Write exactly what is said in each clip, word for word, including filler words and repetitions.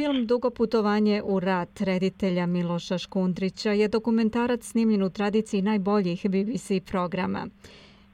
Film Dugo putovanje u rat reditelja Miloša Škundrića je dokumentarac snimljen u tradiciji najboljih B B C programa.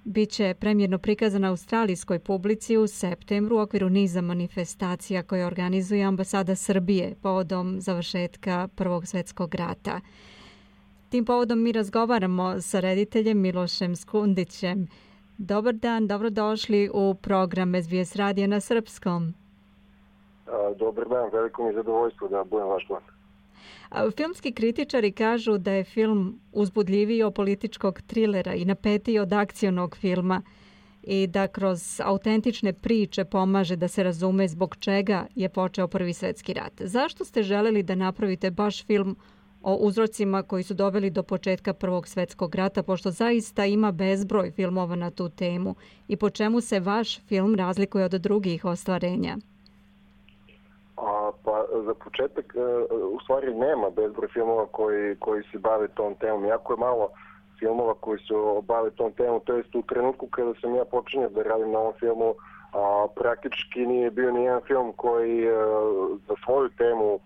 Biće premjerno prikazan na australijskoj publici u septembru u okviru niza manifestacija koje organizuje ambasada Srbije povodom završetka Prvog svjetskog rata. Tim povodom mi razgovaramo sa rediteljem Milošem Škundrićem. Dobar dan, dobrodošli u program S B S radija na srpskom. Dobar dan, veliko mi je zadovoljstvo da budem vaš gost. Filmski kritičari kažu da je film uzbudljiviji od političkog trilera i napetiji od akcionog filma i da kroz autentične priče pomaže da se razume zbog čega je počeo Prvi svjetski rat. Zašto ste želeli da napravite baš film o uzrocima koji su doveli do početka Prvog svjetskog rata, pošto zaista ima bezbroj filmova na tu temu, i po čemu se vaš film razlikuje od drugih ostvarenja? A, pa za početak u stvari nema bezbroj filmova koji, koji se bave tom temom. Jako je malo filmova koji se bave tom temom, to jest u trenutku kada sam ja počinio da radim na ovom filmu, a, praktički nije bio nijedan film koji a, za svoju temu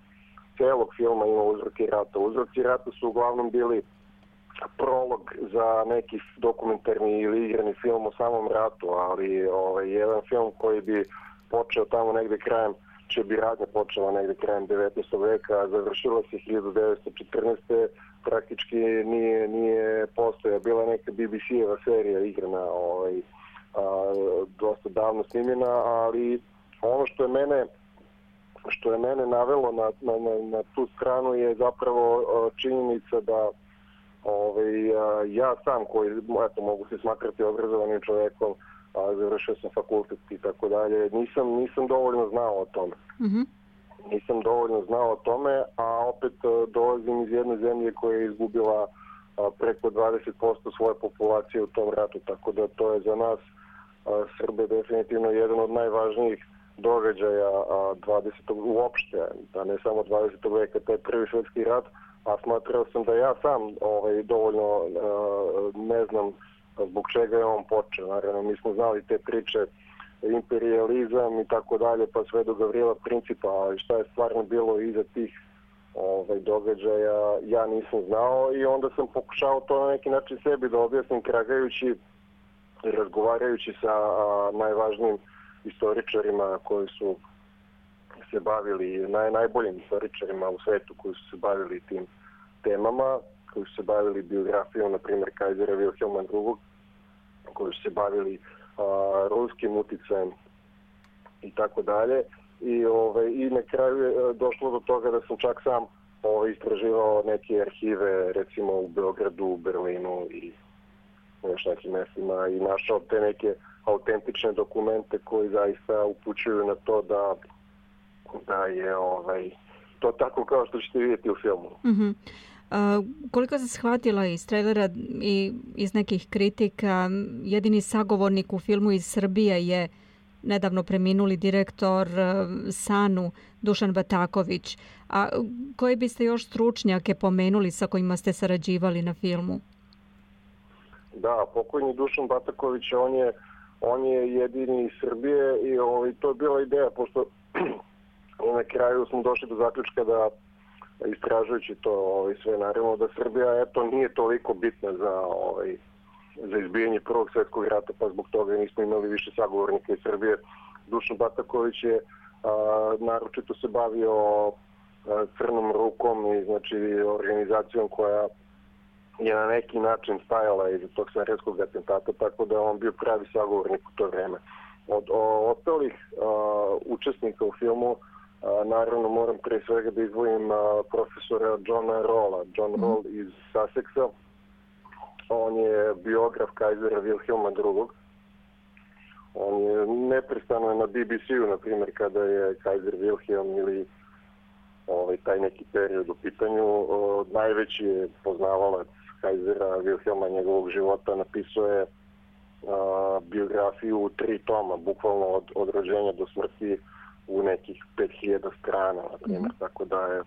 celog filma ima uzroci rata. Uzroci rata su uglavnom bili prolog za neki dokumentarni ili igrani film o samom ratu, ali ovaj, jedan film koji bi počeo tamo negde krajem će bi radnja počela negde krajem devetnaestog veka, a završila se hiljadu devetsto četrnaeste. Praktički nije, nije postoja. Bila neka B B C-eva serija igrana ovaj, a, dosta davno snimljena, ali ono što je mene što je mene navelo na, na, na, na tu stranu je zapravo a, činjenica da ovaj, a, ja sam koji eto, mogu se smatrati obrazovanim čovekom, a završio sam fakultet i tako dalje, nisam, nisam dovoljno znao o tome. Mm-hmm. Nisam dovoljno znao o tome, a opet dolazim iz jedne zemlje koja je izgubila a, preko dvadeset posto svoje populacije u tom ratu, tako da to je za nas a, Srbe definitivno jedan od najvažnijih događaja a, dvadesetog uopšte, da ne samo dvadesetog veka, to je Prvi svjetski rat, a smatrao sam da ja sam ovaj, dovoljno a, ne znam zbog čega je on počeo. Naravno, mi smo znali te priče, imperializam i tako dalje, pa sve do Gavrila Principa, ali šta je stvarno bilo iza tih ovaj, događaja, ja nisam znao i onda sam pokušao to na neki način sebi da objasnim, tragajući i razgovarajući sa a, najvažnijim istoričarima koji su se bavili, naj, najboljim istoričarima u svetu koji su se bavili tim temama, koji su se bavili biografijom, na primjer, Kajzera Vilhelma drugog, koji su se bavili a, ruskim uticajem i tako dalje. I, ovaj, i na kraju je došlo do toga da sam čak sam ovaj, istraživao neke arhive, recimo u Beogradu, u Berlinu i još nekim mestima i našao te neke autentične dokumente koji zaista upućuju na to da, da je ovaj, to tako kao što ćete vidjeti u filmu. Mm-hmm. Uh, koliko sam shvatila iz trailera i iz nekih kritika, jedini sagovornik u filmu iz Srbije je nedavno preminuli direktor uh, Sanu Dušan Bataković. A koje biste još stručnjake pomenuli sa kojima ste sarađivali na filmu? Da, pokojni Dušan Bataković, on je, on je jedini iz Srbije i ovaj, to je bila ideja, pošto na kraju smo došli do zaključka da istražujući to ovaj, sve, naravno da Srbija eto nije toliko bitna za ovaj, za izbijanje Prvog svjetskog rata, pa zbog toga nismo imali više sagovornika iz Srbije. Dušan Bataković je a, naročito se bavio a, Crnom rukom i znači organizacijom koja je na neki način stajala iza tog sarajevskog atentata, tako da on bio pravi sagovornik u to vreme. Od o, ostalih a, učesnika u filmu A, naravno moram pre svega da izdvojim a, profesora Johna Rolla. John mm. Roll iz Sussexa. On je biograf Kajzera Vilhelma drugog. On je neprestano na B B C-u, na primjer, kada je Kajzer Wilhelm ili ovaj, taj neki period u pitanju. O, najveći je poznavalac Kajzera Wilhelma, njegovog života, napisao je a, biografiju u tri toma, bukvalno od, od rođenja do smrti, u nekih pet hiljada strana, na primjer, mm-hmm. tako da je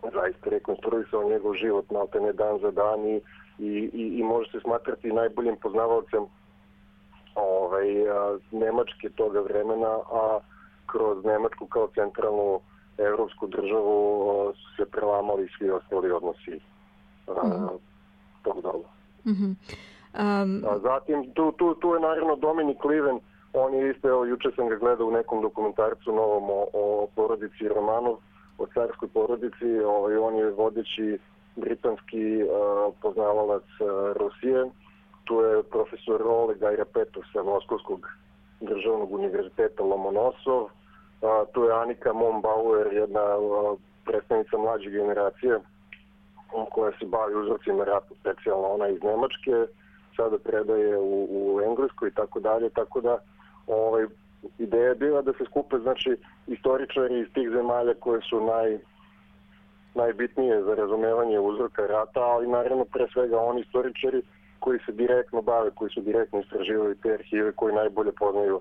zaista rekonstruisao njegov život maltene dan za dan i, i, i, i može se smatrati najboljim poznavalcem ovaj, a, Nemačke toga vremena, a kroz Nemačku kao centralnu evropsku državu su se prelamali svi ostali odnosi mm-hmm. tog doba. Mm-hmm. Um... A zatim, tu, tu, tu je naravno Dominik Liven, on je isto, evo, juče sam ga gledao u nekom dokumentarcu novom o, o porodici Romanov, o carskoj porodici, ovaj, on je vodeći britanski uh, poznavalac uh, Rusije. Tu je profesor Oleg Ajrapetov sa Moskovskog državnog univerziteta Lomonosov. Uh, tu je Anika Mombauer, jedna uh, predstavnica mlađe generacije koja se bavi uzrocima rata, specijalno ona iz Nemačke, sada predaje u, u Engleskoj i tako dalje, tako da ovaj, ideja je bila da se skupe znači istoričari iz tih zemalja koje su naj, najbitnije za razumevanje uzroka rata, ali naravno pre svega oni istoričari koji se direktno bave, koji su direktno istraživali te arhive, koji najbolje poznaju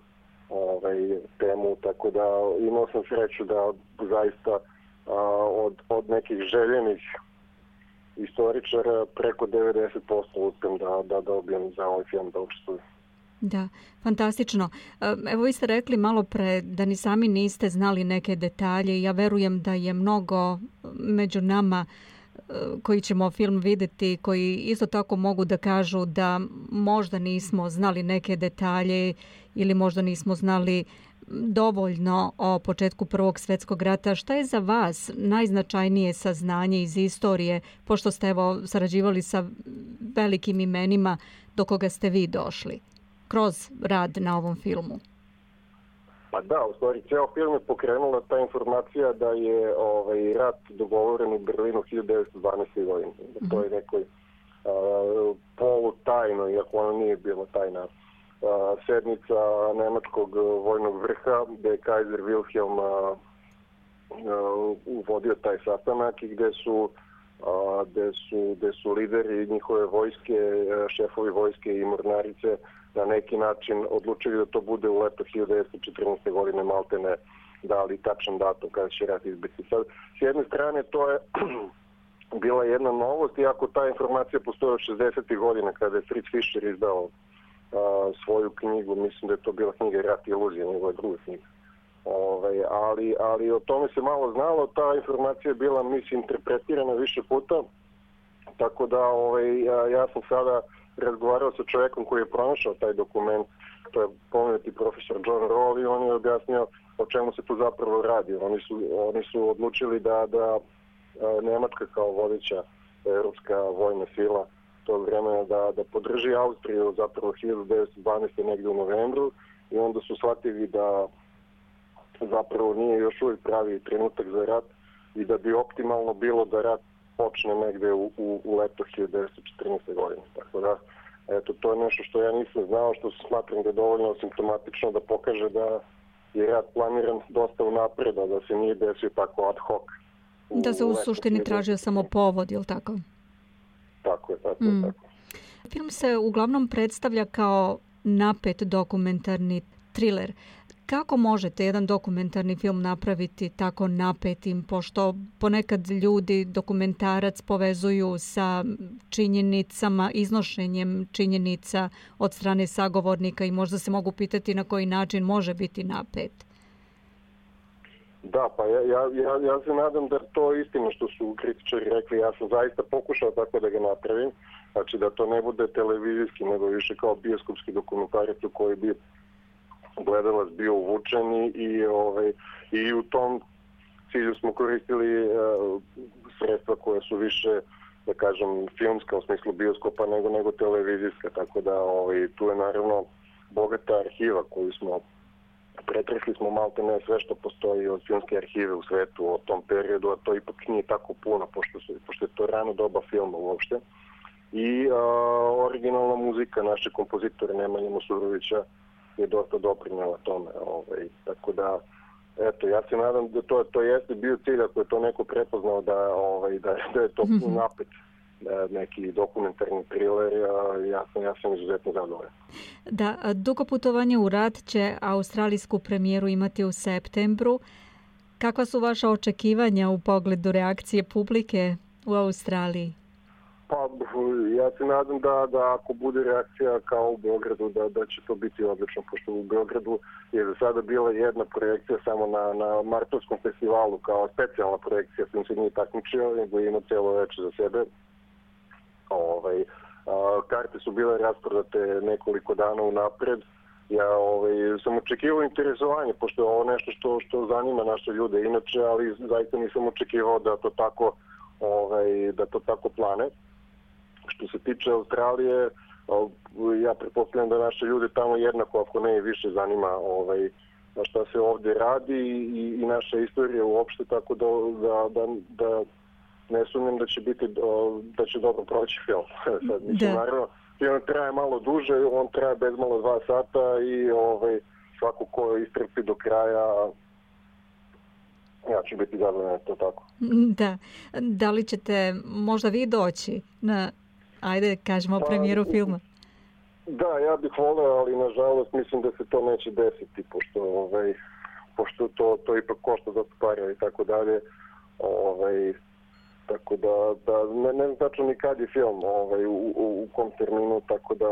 ovaj, temu, tako da imao sam sreću da zaista a, od, od nekih željenih istoričara preko devedeset posto uspem da, da dobijem za ovaj film da učestvujem. Da, fantastično. Evo vi ste rekli malo pre da ni sami niste znali neke detalje i ja verujem da je mnogo među nama koji ćemo film vidjeti, koji isto tako mogu da kažu da možda nismo znali neke detalje ili možda nismo znali dovoljno o početku Prvog svjetskog rata. Šta je za vas najznačajnije saznanje iz istorije, pošto ste evo sarađivali sa velikim imenima do koga ste vi došli kroz rad na ovom filmu? Pa da, u stvari, ceo film je pokrenula ta informacija da je ovaj, rat dogovoren u Berlinu hiljadu devetsto dvanaeste. godine. Mm-hmm. To je nekoj uh, polutajno, iako ono nije bilo tajna, uh, sednica nemačkog vojnog vrha, gde je Kaiser Wilhelm uh, uh, uvodio taj sastanak i gde su, uh, gde su, gde su lideri njihove vojske, uh, šefovi vojske i mornarice na neki način odlučili da to bude u leto hiljadu devetsto četrnaeste. godine, maltene dali tačan datum kada će rat izbiti. Sad, s jedne strane to je bila jedna novost, iako ta informacija postoji od šezdesetih godina kada je Fritz Fischer izdao a, svoju knjigu, mislim da je to bila knjiga Rat i iluzija, njegova druga knjiga. Ove, ali, ali o tome se malo znalo, ta informacija je bila, mislim, interpretirana više puta, tako da ove, ja, ja sam sada razgovarao sa čovjekom koji je pronašao taj dokument, to je pomenuti profesor John Roll, i on je objasnio o čemu se tu zapravo radi. Oni su, oni su odlučili da, da Nemačka kao vodeća europska vojna sila tog vremena da, da podrži Austriju zapravo hiljadu devetsto dvanaeste. negdje u novembru, i onda su shvatili da zapravo nije još uvijek pravi trenutak za rat i da bi optimalno bilo da rat počne negde u, u, u leto hiljadu devetsto četrnaeste. godine. Tako da, eto, to je nešto što ja nisam znao, što smatram da je dovoljno simptomatično da pokaže da je rat planiran dosta unapred, da se nije desio tako ad hoc. U, da se u suštini tražio samo povod, je li tako? Tako je, tako mm. je, tako. Film se uglavnom predstavlja kao napet dokumentarni thriller. Kako možete jedan dokumentarni film napraviti tako napetim, pošto ponekad ljudi dokumentarac povezuju sa činjenicama, iznošenjem činjenica od strane sagovornika i možda se mogu pitati na koji način može biti napet? Da, pa ja, ja, ja, ja se nadam da to je istina što su kritičari rekli. Ja sam zaista pokušao tako da ga napravim, znači da to ne bude televizijski, nego više kao bioskopski dokumentarac u koji bi gledalac bio uvučen i, ovaj, i u tom cilju smo koristili uh, sredstva koje su više, da kažem, filmska u smislu bioskopa nego, nego televizijska, tako da ovaj, tu je naravno bogata arhiva koju smo pretresli smo malte ne sve što postoji od filmske arhive u svetu o tom periodu, a to ipak nije tako puno, pošto, su, pošto je to rano doba filma uopšte. I uh, originalna muzika naše kompozitore Nemanje Mosurovića je dosta doprinjela tome. Ovaj, tako da, eto, ja se nadam da to, to jeste bio cilj, ako je to neko prepoznao da, ovaj, da, da je to mm-hmm. napet, da neki dokumentarni thriller, ja sam, ja sam izuzetno zadovoljan. Da, Dugo putovanje u rat će australijsku premijeru imati u septembru. Kakva su vaša očekivanja u pogledu reakcije publike u Australiji? Pa, ja se nadam da, da ako bude reakcija kao u Beogradu, da, da će to biti odlično, pošto u Beogradu je za sada bila jedna projekcija samo na, na Martovskom festivalu, kao specijalna projekcija, sam se nije takmičio, nego je imao celo veče za sebe. Ovaj, a, karte su bile rasprodate nekoliko dana unapred. Ja ovaj, sam očekivao interesovanje, pošto je ovo nešto što, što zanima naše ljude inače, ali zaista nisam očekivao da to tako, ovaj, da to tako plane. Što se tiče Australije, ja pretpostavljam da naše ljude tamo jednako, ako ne i više, zanima ovaj, šta se ovdje radi i, i naša istorija uopšte, tako da, da, da, da ne sumnjam da će biti, da će dobro proći film. Sad, mislim, naravno, film traje malo duže, on traje bez malo dva sata i ovaj, svako ko istrpi do kraja, ja ću biti zadovoljan, to tako. Da. Da li ćete možda vi doći na, ajde, kažemo, pa, premijeru filma? Da, ja bih voleo, ali nažalost mislim da se to neće desiti, pošto, ovaj, pošto to, to ipak košta dosta para i tako dalje. Ovaj, tako da, da ne, ne znam tačno ni kad je film, ovaj, u, u, u kom terminu, tako da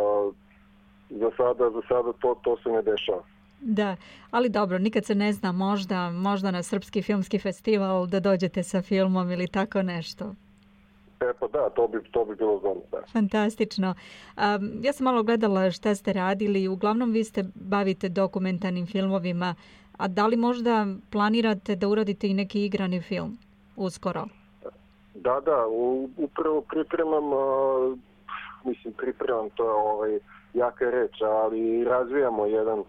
za sada, za sada to, to se ne dešava. Da, ali dobro, nikad se ne zna, možda, možda na Srpski filmski festival da dođete sa filmom ili tako nešto. E pa da, to bi, to bi bilo zgodno. Da. Fantastično. Um, ja sam malo gledala šta ste radili, uglavnom vi ste bavite dokumentarnim filmovima, a da li možda planirate da uradite i neki igrani film uskoro? Da, da, upravo pripremam, uh, mislim pripremam, to je ovaj, jaka reč, ali razvijamo jedan uh,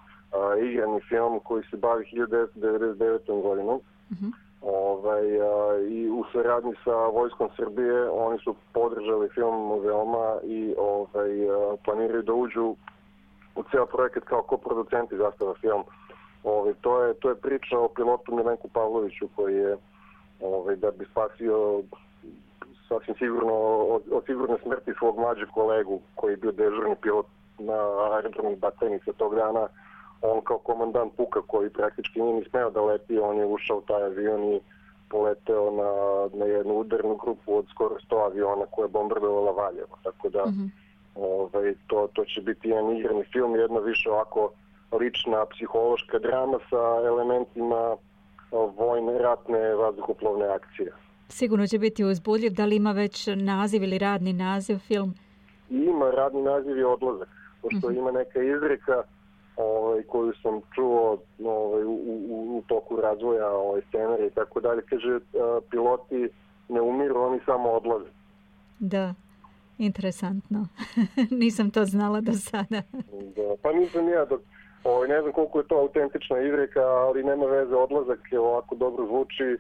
igrani film koji se bavi hiljadu devetsto devedeset devetom godinom. Uh-huh. Ovaj, a, i u saradnji sa Vojskom Srbije oni su podržali film veoma i ovaj, a, planiraju da uđu u ceo projekat kao koproducenti Zastava film. Ovaj, to, je, to je priča o pilotu Milenku Pavloviću koji je ovaj, da bi spasio sasvim sigurno od, od sigurne smrti svog mlađeg kolegu koji je bio dežurni pilot na aerodromu Batajnica tog dana. On kao komandant puka koji praktički nije ni smeo da leti, on je ušao u taj avion i poleteo na, na jednu udarnu grupu od skoro sto aviona koja je bombardovala Valjevo. Tako da mm-hmm. ovaj, to, to će biti jedan igrani film, jedna više ovako lična psihološka drama sa elementima vojne, ratne, vazduhoplovne akcije. Sigurno će biti uzbudljiv. Da li ima već naziv ili radni naziv film? Ima, radni naziv je Odlazak, pošto mm-hmm. ima neka izreka Ovaj, koju sam čuo ovaj, u, u, u toku razvoja ovaj, scenarija i tako dalje. Kaže, a, piloti ne umiru, oni samo odlaze. Da, interesantno. Nisam to znala do sada. Da, pa nisam ja. Dok, ovaj, ne znam koliko je to autentična izreka, ali nema veze, odlazak je ovako dobro zvuči.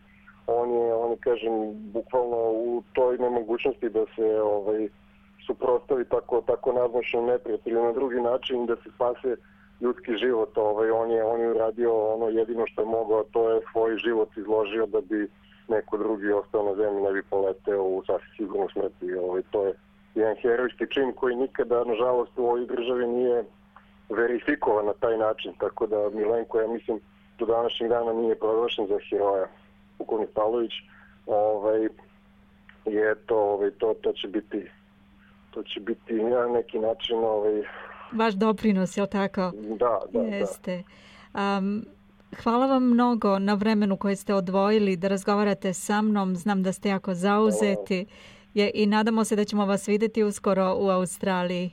On je, on je, kažem, bukvalno u toj nemogućnosti da se ovaj, suprotstavi tako, tako nadmoćnom neprijatelju na drugi način, da se spase ljudski život, ovaj, on je on je uradio ono jedino što je mogao, to je svoj život izložio da bi neko drugi ostao na zemlji, ne bi poleteo u sasvim sigurnu smrti. Ovaj, to je jedan herojski čin koji nikada, nažalost, u ovoj državi nije verifikovan na taj način, tako da Milenko, ja mislim, do današnjeg dana nije proglašen za heroja. Pukovnik Pavlović, ovaj, je to, ovaj, to, to će biti to će biti na neki način ovaj, vaš doprinos, je li tako? Da, da, Jeste. Da. Um, hvala vam mnogo na vremenu koje ste odvojili da razgovarate sa mnom. Znam da ste jako zauzeti je, i nadamo se da ćemo vas vidjeti uskoro u Australiji.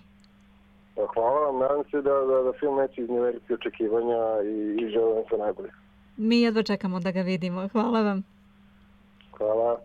Hvala vam. Nadam se da, da, da film neće izneveriti očekivanja i, i želim se najbolje. Mi jedva čekamo da ga vidimo. Hvala vam. Hvala.